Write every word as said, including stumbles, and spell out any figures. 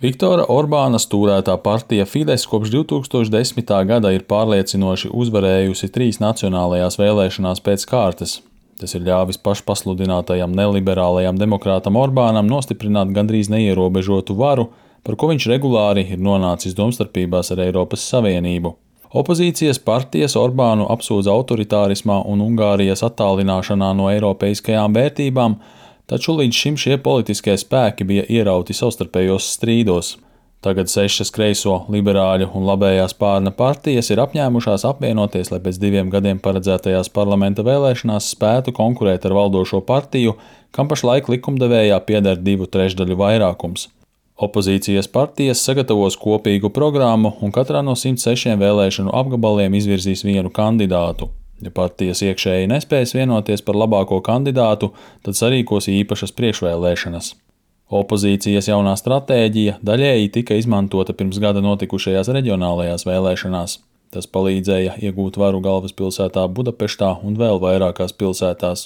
Viktora Orbāna stūrētā partija Fidesz kopš divi tūkstoši desmitā gada ir pārliecinoši uzvarējusi trīs nacionālajās vēlēšanās pēc kārtas. Tas ir ļāvis pašpasludinātajam neliberālajam demokrātam Orbānam nostiprināt gandrīz neierobežotu varu, par ko viņš regulāri ir nonācis domstarpībās ar Eiropas Savienību. Opozīcijas partijas Orbānu apsūdz autoritārismā un Ungārijas attālināšanā no eiropeiskajām vērtībām, taču līdz šim šie politiskie spēki bija ierauti savstarpējos strīdos. Tagad sešas kreiso, liberāļu un labējā spārna partijas ir apņēmušās apvienoties, lai pēc diviem gadiem paredzētajās parlamenta vēlēšanās spētu konkurēt ar valdošo partiju, kam pašlaik likumdevējā pieder divu trešdaļu vairākums. Opozīcijas partijas sagatavos kopīgu programmu un katrā no simt sešiem vēlēšanu apgabaliem izvirzīs vienu kandidātu. Ja partijas iekšēji nespēs vienoties par labāko kandidātu, tad sarīkos īpašas priekšvēlēšanas. Opozīcijas jaunā stratēģija daļēji tika izmantota pirms gada notikušajās reģionālajās vēlēšanās. Tas palīdzēja iegūt varu galvaspilsētā Budapeštā un vēl vairākās pilsētās.